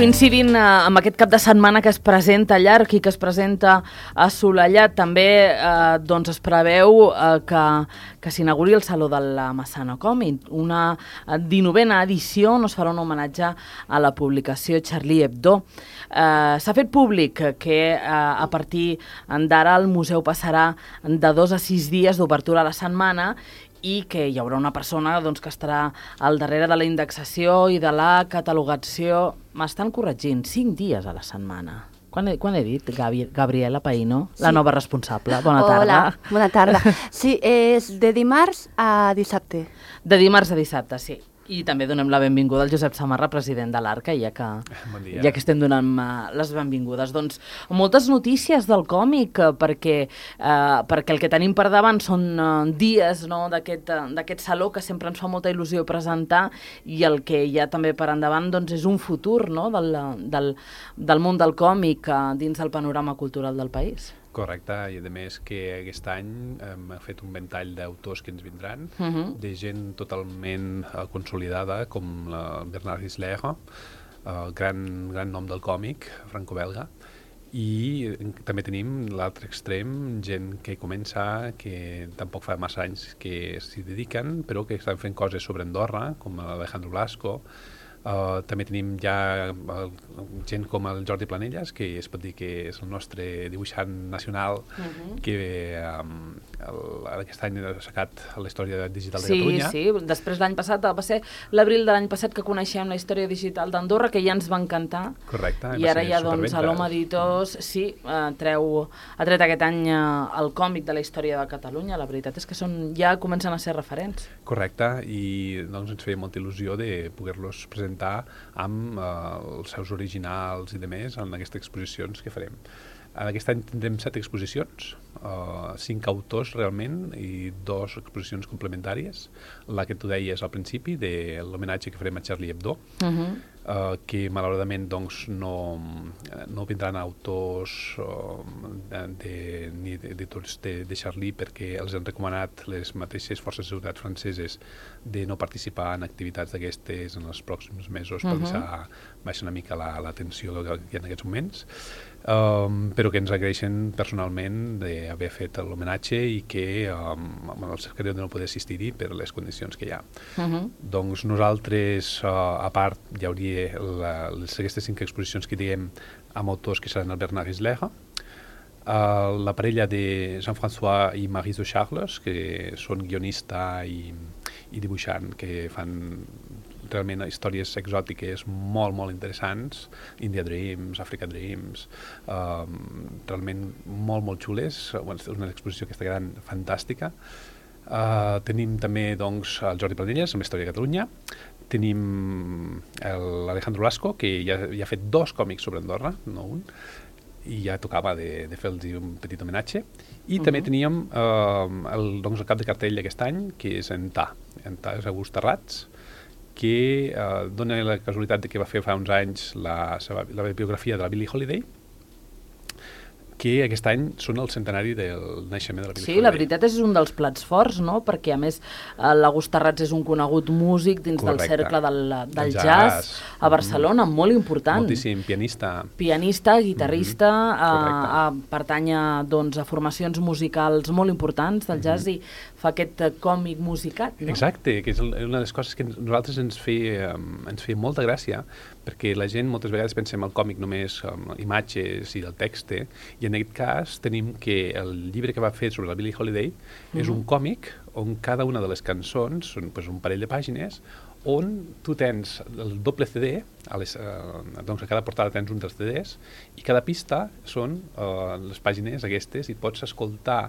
coincidint amb aquest cap de setmana que es presenta llarg i que es presenta assolellat, també doncs es preveu que s'inauguri el Saló de la Massana Còmic. Una 19a edició on es farà un homenatge a la publicació Charlie Hebdo. S'ha fet públic que a partir d'ara el museu passarà de 2 a 6 dies d'obertura a la setmana i que hi haurà una persona que estarà al darrere de la indexació i de la catalogació. M'estan corregint, 5 dies a la setmana. Quan he dit? Gabriela Païno, la nova responsable. Bona tarda. Hola, bona tarda. Sí, és de dimarts a dissabte. De dimarts a dissabte, sí. I també donem la benvinguda al Josep Samarra, president de l'Arca, ja que estem donant les benvingudes. Doncs moltes notícies del còmic, perquè el que tenim per davant són dies d'aquest saló que sempre ens fa molta il·lusió presentar, i el que hi ha també per endavant és un futur del món del còmic dins del panorama cultural del país. Correcte, i a més que aquest any hem fet un ventall d'autors que ens vindran, de gent totalment consolidada, com Bernard Isler, gran nom del còmic franco-belga, i també tenim l'altre extrem, gent que comença, que tampoc fa massa anys que s'hi dediquen, però que estan fent coses sobre Andorra, com Alejandro Blasco. També tenim ja gent com el Jordi Planelles, que es pot dir que és el nostre dibuixant nacional, que aquest any ha sacat la història digital de Catalunya. Sí, després l'any passat, va ser l'abril de l'any passat que coneixem la història digital d'Andorra, que ja ens va encantar. Correcte. I ara ja a l'Home Editors ha tret aquest any el còmic de la història de Catalunya. La veritat és que ja comencen a ser referents. Correcte, i ens feia molta il·lusió de poder-los presentar amb els seus originals i demés en aquestes exposicions que farem. Aquest any tindrem 7 exposicions, 5 autors realment i 2 exposicions complementàries. La que tu deies al principi, de l'homenatge que farem a Charlie Hebdo, que malauradament no vindran autors ni editors de Charlie, perquè els han recomanat les mateixes forces de seguretat franceses de no participar en activitats d'aquestes en els pròxims mesos per deixar baixar una mica la tensió que hi ha en aquests moments, però que ens agraeixen personalment d'haver fet l'homenatge i que el secretari no poder assistir-hi per les condicions que hi ha. Doncs nosaltres, a part, hi hauria aquestes 5 exposicions que diem amb autors que seran el Bernard Isler, la parella de Jean-François i Maryse Charles, que són guionista i dibuixant, que fan realment històries exòtiques molt, molt interessants, India Dreams, Africa Dreams, realment molt, molt xules. És una exposició aquesta gran, fantàstica. Tenim també el Jordi Planelles, amb la història de Catalunya. Tenim l'Alejandro Blasco, que ja ha fet 2 còmics sobre Andorra, no un, i ja tocava de fer-los un petit homenatge. I també teníem el cap de cartell d'aquest any, que és en Ta és August Terrats, que dona la casualitat que va fer fa uns anys la biografia de la Billie Holiday, que aquest any són el centenari del naixement de la Billie Holiday. Sí, la veritat és un dels plats forts, no? Perquè a més l'August Terrats és un conegut músic dins del cercle del jazz a Barcelona, molt important. Moltíssim, pianista. Pianista, guitarrista, pertany a formacions musicals molt importants del jazz i fa aquest còmic musicat, no? Exacte, que és una de les coses que a nosaltres ens feia molta gràcia, perquè la gent moltes vegades pensem el còmic només imatges i del text, i en aquest cas tenim que el llibre que va fer sobre la Billie Holiday és un còmic on cada una de les cançons són un parell de pàgines on tu tens el doble CD, doncs a cada portada tens un dels CDs, i cada pista són les pàgines aquestes i pots escoltar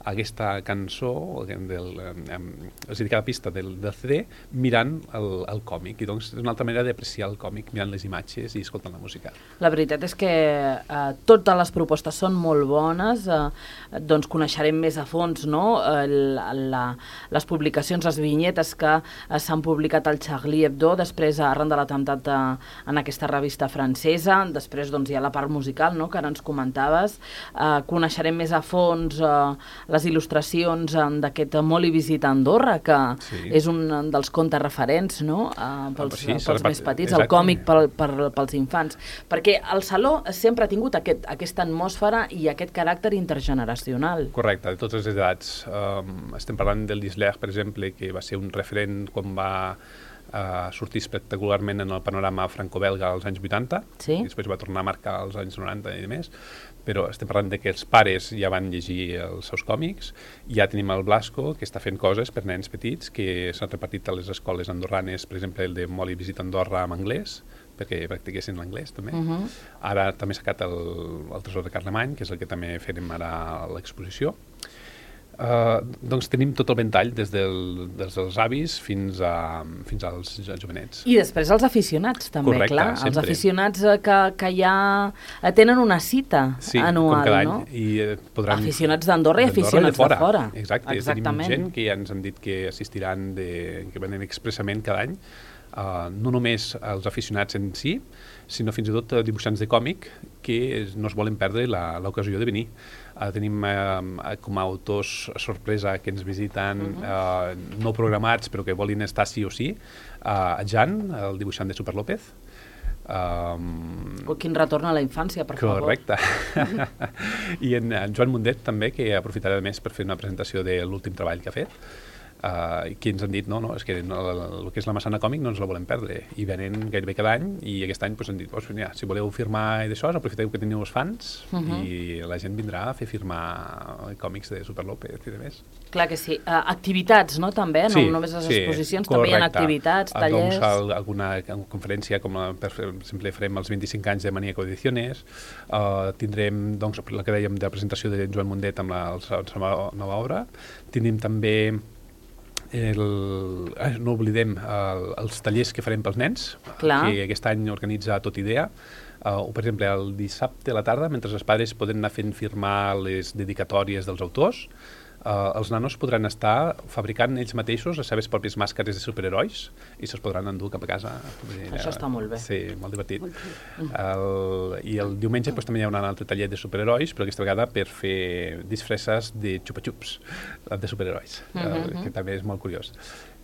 aquesta cançó, és a dir, cada pista del CD, mirant el còmic. I doncs és una altra manera d'apreciar el còmic, mirant les imatges i escoltant la música. La veritat és que totes les propostes són molt bones, doncs coneixerem més a fons, no?, les publicacions, les vinyetes que s'han publicat al Charlie Hebdo, després arran de l'atemptat en aquesta revista francesa, després hi ha la part musical, no?, que ara ens comentaves, coneixerem més a fons les il·lustracions d'aquest Molt i visita Andorra, que és un dels contes referents, no? Pels més petits, el còmic pels infants. Perquè el Saló sempre ha tingut aquesta atmosfera i aquest caràcter intergeneracional. Correcte, de totes les edats. Estem parlant del Disler, per exemple, que va ser un referent quan va sortir espectacularment en el panorama franco-belga als anys 80, i després va tornar a marcar als anys 90 i més, però estem parlant de que els pares ja van llegir els seus còmics, ja tenim el Blasco, que està fent coses per nens petits, que s'han repartit a les escoles andorranes, per exemple, el de Molt i visita Andorra en anglès, perquè practiquessin l'anglès també. Ara també s'ha sacat el Tresor de Carlemany, que és el que també farem ara a l'exposició. Doncs tenim tot el ventall des dels avis fins als jovenets. I després els aficionats també. Correcte, clar. Sempre. Els aficionats que ja tenen una cita anual, com cada no? any. Aficionats d'Andorra i aficionats de fora. Exacte. Tenim gent que ja ens han dit que assistiran, que venen expressament cada any, no només els aficionats en si, sinó fins i tot dibuixants de còmic que no es volen perdre l'ocasió de venir. Tenim com a autors sorpresa que ens visiten, no programats, però que volin estar sí o sí. Jan, el dibuixant de Super López. Quin retorn a la infància, per favor. Correcte. I en Joan Mundet també, que aprofitarà més per fer una presentació de l'últim treball que ha fet, que ens han dit, és que el que és la Massana Còmic no ens la volem perdre, i venen gairebé cada any, i aquest any han dit, si voleu firmar d'això, aprofiteu que teniu els fans, i la gent vindrà a fer firmar còmics de Super López i de més. Clar que sí. Activitats, no, també? No només les exposicions, també hi ha activitats, tallers... Doncs alguna conferència, com per exemple farem els 25 anys de Maníaco Ediciones, tindrem, doncs, la que dèiem de la presentació de Joan Mundet amb la seva nova obra, tindrem també no oblidem els tallers que farem pels nens, que aquest any organitza Tot Idea, o per exemple el dissabte a la tarda, mentre els pares poden anar fent firmar les dedicatòries dels autors, els nanos podran estar fabricant ells mateixos les seves pròpies màscares de superherois i se'ls podran endur cap a casa. Això està molt bé. Sí, molt divertit. I el diumenge també hi ha un altre taller de superherois, però aquesta vegada per fer disfresses de xupa-xups de superherois, que també és molt curiós.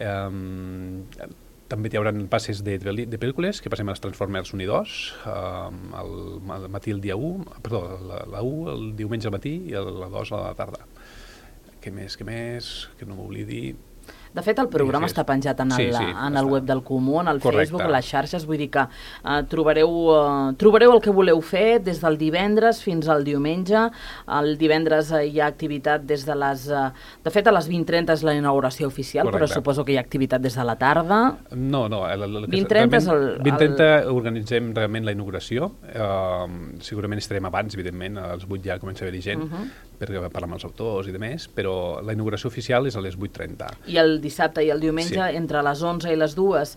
També hi haurà passes de pel·lícules, que passem als Transformers 1 i 2, al matí el dia 1, perdó, la 1 el diumenge al matí i la 2 a la tarda. Què més, que no m'oblidi... De fet, el programa està penjat en el web del Comú, en el Facebook, a les xarxes, vull dir que trobareu el que voleu fer des del divendres fins al diumenge. El divendres hi ha activitat des de les... De fet, a les 20:30 és la inauguració oficial, però suposo que hi ha activitat des de la tarda. No. 20:30 és el... 20:30 organitzem realment la inauguració. Segurament estarem abans, evidentment, als 8 ja comença a haver-hi gent, per parlar amb els autors i demés, però la inauguració oficial és a les 8:30. I el dissabte i el diumenge, entre les 11 i les 2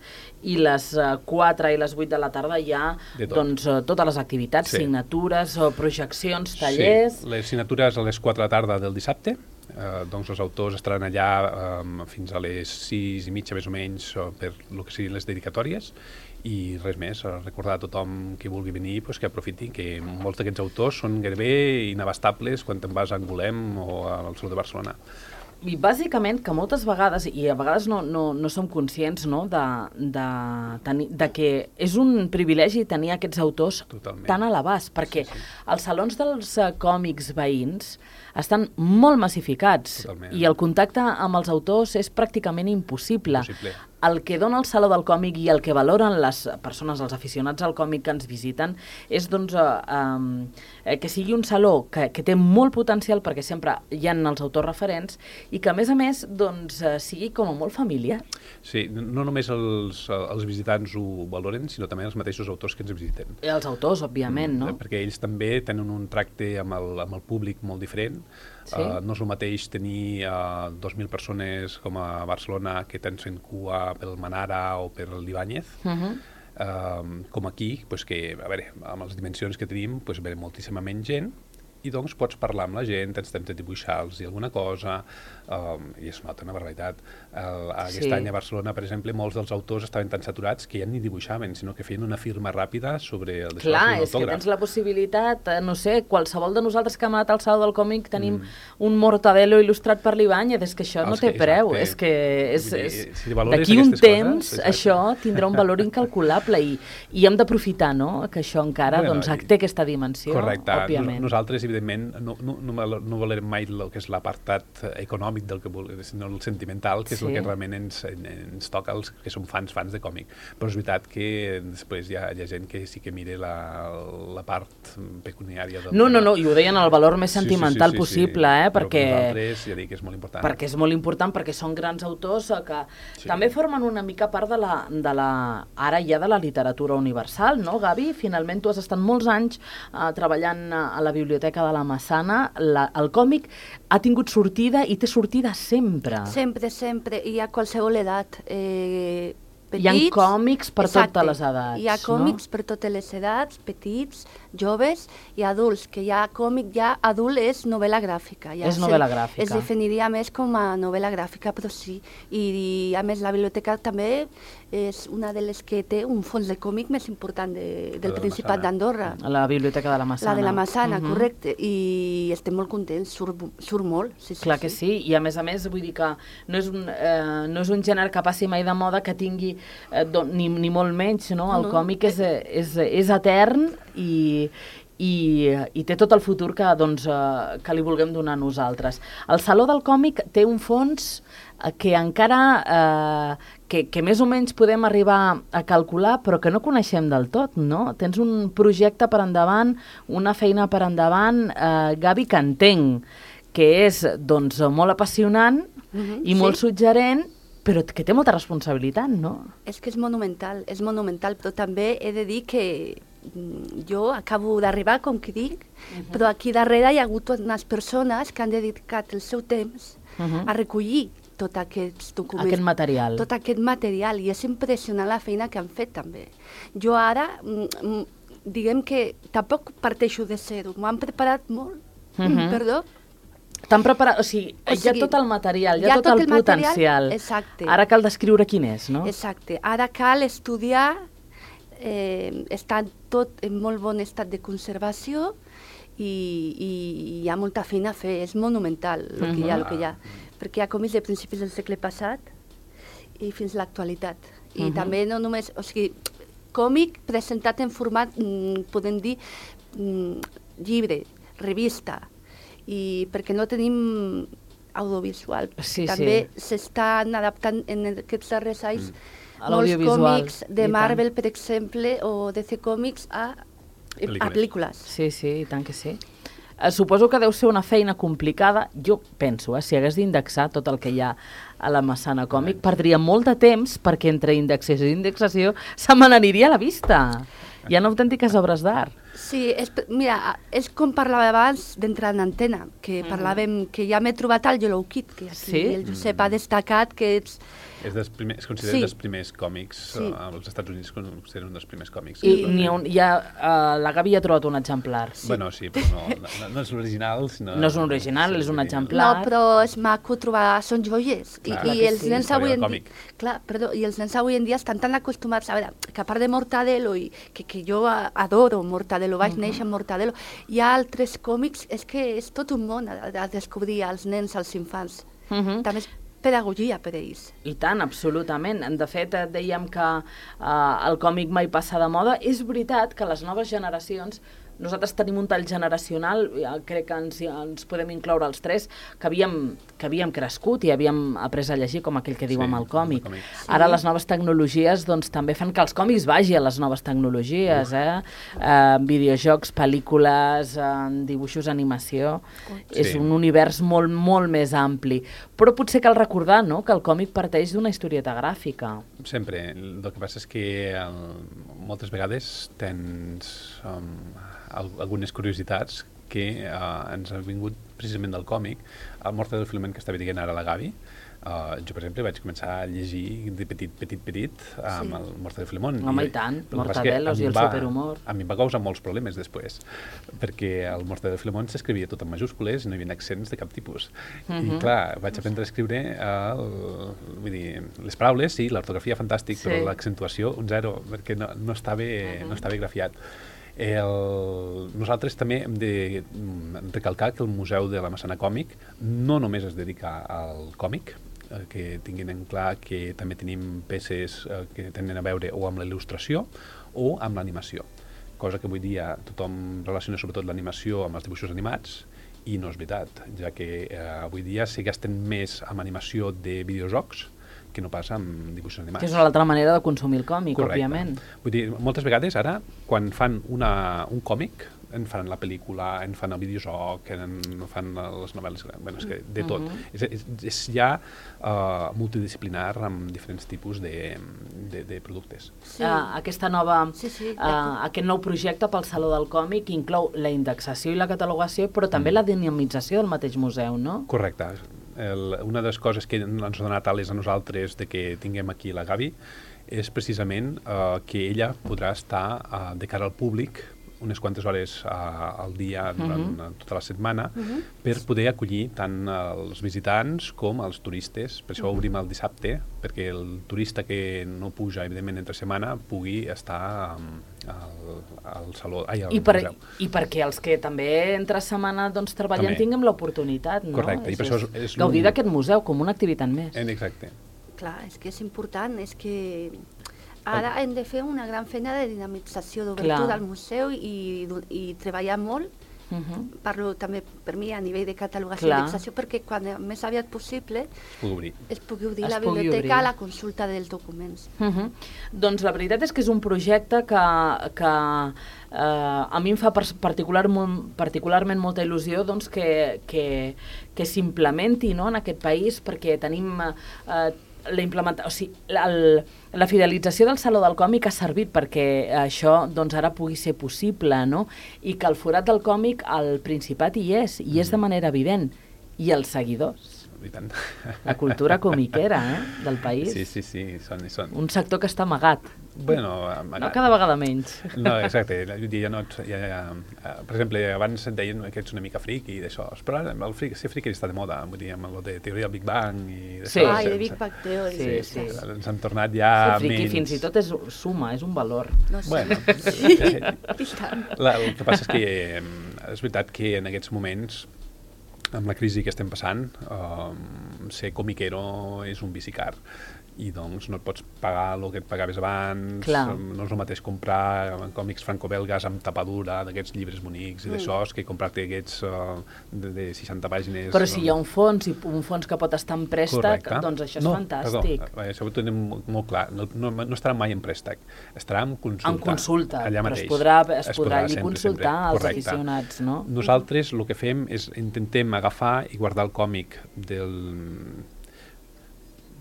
i les 4 i les 8 de la tarda hi ha totes les activitats, signatures, projeccions, tallers... Sí, les signatures a les 4 de la tarda del dissabte, doncs els autors estaran allà fins a les 6:30 més o menys per el que siguin les dedicatòries, i res més, recordar a tothom que vulgui venir que aprofiti, que molts d'aquests autors són gairebé inabastables quan te'n vas a Angolem o al Saló de Barcelona. I bàsicament que moltes vegades, i a vegades no som conscients de que és un privilegi tenir aquests autors tan a l'abast, perquè els salons dels còmics veïns estan molt massificats i el contacte amb els autors és pràcticament impossible. El que dona el Saló del Còmic i el que valoren les persones, els aficionats al còmic que ens visiten, és que sigui un saló que té molt potencial perquè sempre hi ha els autors referents i que a més sigui com a molt familiar. Sí, no només els visitants ho valoren, sinó també els mateixos autors que ens visiten. I els autors, òbviament, no? Perquè ells també tenen un tracte amb el públic molt diferent. No és el mateix tenir 2.000 persones com a Barcelona que tens fent cua pel Manara o per l'Ibáñez, com aquí, que, a veure, amb les dimensions que tenim, ve moltíssima menys gent i doncs pots parlar amb la gent, tens temps de dibuixar-los i alguna cosa, i es nota una barbaritat. Aquest any a Barcelona, per exemple, molts dels autors estaven tan saturats que ja ni dibuixaven, sinó que feien una firma ràpida sobre el deixar Clar, un és que autògraf. tens la possibilitat, no sé, qualsevol de nosaltres que hem anat al Saló del Còmic tenim un Mortadelo il·lustrat per l'Ibáñez, és que això no té preu, és que d'aquí un temps això tindrà un valor incalculable i hem d'aprofitar, no?, que això encara té aquesta dimensió, òbviament. Nosaltres, evidentment, no volem mai el que és l'apartat econòmic del que volem, sinó el sentimental, que és el que realment ens toca els que som fans de còmic. Però és veritat que després hi ha gent que sí que mira la part pecuniària del... No, i ho deien el valor més sentimental possible, perquè... Però nosaltres ja dic que és molt important. Perquè és molt important, perquè són grans autors que també formen una mica part ara ja de la literatura universal, no, Gavi? Finalment tu has estat molts anys treballant a la Biblioteca de la Massana. El còmic ha tingut sortida i té sortida sempre. Sempre, i a qualsevol edat. Petits, hi ha còmics per totes les edats. Hi ha còmics per totes les edats, petits, joves i adults, que ja còmic ja adult és novel·la gràfica. És novel·la gràfica. Es definiria més com a novel·la gràfica, però sí. I a més la biblioteca també és una de les que té un fons de còmic més important del Principat d'Andorra. La Biblioteca de la Massana. La de la Massana, correcte. I estem molt contents, surt molt. Clar que sí, i a més, vull dir que no és un gènere que passi mai de moda, que tingui ni molt menys, no? El còmic és etern i té tot el futur que li vulguem donar a nosaltres. El Saló del Còmic té un fons que encara que més o menys podem arribar a calcular, però que no coneixem del tot, no? Tens un projecte per endavant, una feina per endavant, Gavi, que entenc que és molt apassionant i molt suggerent, però que té molta responsabilitat, no? És que és monumental, però també he de dir que jo acabo d'arribar, com que dic, però aquí darrere hi ha hagut unes persones que han dedicat el seu temps a recollir tot aquests documents. Aquest material. Tot aquest material, i és impressionant la feina que han fet també. Jo ara, diguem que tampoc parteixo de zero, m'ho han preparat molt, perdó. T'han preparat, o sigui, hi ha tot el material, hi ha tot el potencial. Exacte. Ara cal descriure quin és, no? Exacte. Ara cal estudiar, està tot en molt bon estat de conservació i hi ha molta feina a fer, és monumental el que hi ha, perquè hi ha còmics de principis del segle passat i fins a l'actualitat. I també no només, o sigui, còmic presentat en format, podem dir, llibre, revista, i perquè no tenim audiovisual. També s'estan adaptant en aquests darrers anys molts còmics de Marvel, per exemple, o DC Comics a pel·lícules. Sí, i tant que sí. Suposo que deu ser una feina complicada. Jo penso, si hagués d'indexar tot el que hi ha a la Massana Còmic, perdria molt de temps perquè entre indexació i indexació se me n'aniria a la vista. Hi ha autèntiques obres d'art. Sí, mira, és com parlava abans d'entrar en antena, que parlàvem que ja m'he trobat al Yellow Kid, que aquí el Josep ha destacat que es considera dels primers còmics, als Estats Units es considera un dels primers còmics. I la Gavi ha trobat un exemplar. Bueno, sí, però no és l'original. No és un original, és un exemplar. No, però és maco trobar, són joies. I els nens avui en dia... Clar, perdó, i els nens avui en dia estan tan acostumats, a veure, que a part de Mortadelo, i que jo adoro Mortadelo, vaig néixer amb Mortadelo, hi ha altres còmics, és que és tot un món a descobrir als nens, als infants. També és pedagogia per a ells. I tant, absolutament. De fet, dèiem que el còmic mai passa de moda. És veritat que les noves generacions, nosaltres tenim un tall generacional, crec que ens podem incloure els tres, que havíem crescut i havíem après a llegir, com aquell que diu amb el còmic. Ara les noves tecnologies també fan que els còmics vagin a les noves tecnologies, videojocs, pel·lícules, dibuixos, animació. És un univers molt, molt més ampli. Però potser cal recordar, no?, que el còmic parteix d'una historieta gràfica. Sempre. El que passa és que moltes vegades tens algunes curiositats que ens ha vingut precisament del còmic, el Morte del Filament que estava dient ara la Gavi. Jo, per exemple, vaig començar a llegir de petit amb el Morte del Filemón. Home, i tant, Mortadelos i el superhumor. A mi em va causar molts problemes després, perquè el Morte del Filemón s'escrivia tot en majúscules i no hi havia accents de cap tipus. I clar, vaig aprendre a escriure vull dir, les paraules, sí, l'ortografia fantàstic, però l'accentuació un zero, perquè no estava grafiat. Nosaltres també hem de recalcar que el Museu de la Massana Còmic no només es dedica al còmic, que tinguin en clar que també tenim peces que tenen a veure o amb la il·lustració o amb l'animació, cosa que avui dia tothom relaciona sobretot l'animació amb els dibuixos animats, i no és veritat, ja que avui dia s'hi gasten més amb animació de videojocs que no passa amb dibuixos animats. Que és una altra manera de consumir el còmic, òbviament. Vull dir, moltes vegades ara, quan fan un còmic, en fan la pel·lícula, en fan el videojoc, en fan les novel·les, bueno, és que de tot. És ja multidisciplinar amb diferents tipus de productes. Aquest nou projecte pel Saló del Còmic inclou la indexació i la catalogació, però també la dinamització del mateix museu, no? Correcte. Una de les coses que ens ha donat ales a nosaltres de que tinguem aquí la Gavi és precisament que ella podrà estar de cara al públic unes quantes hores al dia durant tota la setmana per poder acollir tant els visitants com els turistes. Per això obrim el dissabte, perquè el turista que no puja, evidentment, entre setmana pugui estar al saló, al museu. I perquè els que també entre setmana treballen tinguem l'oportunitat, no? Correcte. I per això és gaudir d'aquest museu com una activitat més. Exacte. Clar, és que és important, és que ara hem de fer una gran feina de dinamització, d'obertura al museu i treballar molt. Parlo també per mi a nivell de catalogació i indexació, perquè quan més aviat possible es pugui obrir la biblioteca a la consulta dels documents. Doncs la veritat és que és un projecte que a mi em fa particularment molta il·lusió que s'implementi en aquest país, perquè tenim la fidelització del Saló del Còmic ha servit perquè això ara pugui ser possible, no? I que el forat del còmic al Principat hi és de manera evident, i els seguidors. La cultura comiquera del país. Sí, són. Un sector que està amagat. Bueno, amagat. No, cada vegada menys. No, exacte. Per exemple, abans et deien que ets una mica friqui i d'això, però ser friqui està de moda, vull dir, amb el de teoria del Big Bang i d'això. I de Big Bang Theory. Sí. Ens han tornat ja menys. Ser friqui fins i tot és suma, és un valor. Bueno, el que passa és que és veritat que en aquests moments, amb la crisi que estem passant, ser comiquero és un vici car, i doncs no et pots pagar el que et pagaves abans. No és el mateix comprar còmics franco-belgues amb tapadura d'aquests llibres bonics i d'això que comprar-te aquests de 60 pàgines. Però si hi ha un fons que pot estar en préstec, doncs això és fantàstic. Això ho tenim molt clar, no estarà mai en préstec, estarà en consulta. En consulta, allà però mateix. es podrà allí consultar als aficionats, no? Nosaltres el que fem és intentem agafar i guardar el còmic del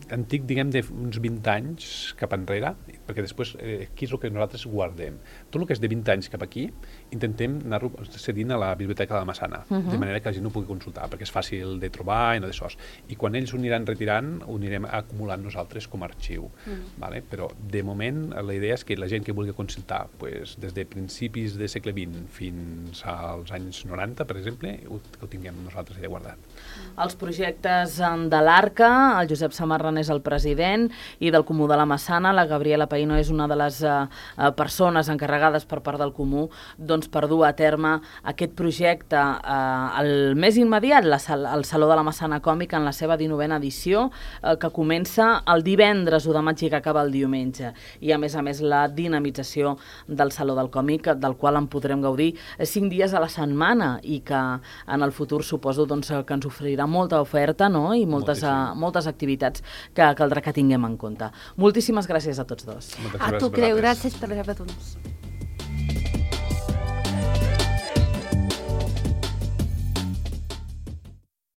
antic, diguem, d'uns 20 anys cap enrere, perquè després aquí és el que nosaltres guardem. Tot el que és de 20 anys cap aquí, intentem anar-ho cedint a la Biblioteca de la Massana, de manera que la gent ho pugui consultar, perquè és fàcil de trobar i no d'això. I quan ells ho aniran retirant, ho anirem acumulant nosaltres com a arxiu. Però, de moment, la idea és que la gent que vulgui consultar des de principis del segle XX fins als anys 90, per exemple, ho tinguem nosaltres allà guardat. Els projectes de l'Arca, el Josep Samarra és el president, i del Comú de la Massana, la Gabriela Paino és una de les persones encarregades per part del Comú per dur a terme aquest projecte. El més immediat, el Saló de la Massana Còmic en la seva 19a edició, que comença el divendres 1 de maig i que acaba el diumenge. I a més, la dinamització del Saló del Còmic, del qual en podrem gaudir 5 dies a la setmana, i que en el futur suposo que ens oferirà molta oferta, i moltes activitats que caldrà que tinguem en compte. Moltíssimes gràcies a tots dos. A tu, Creu, gràcies per haver-nos.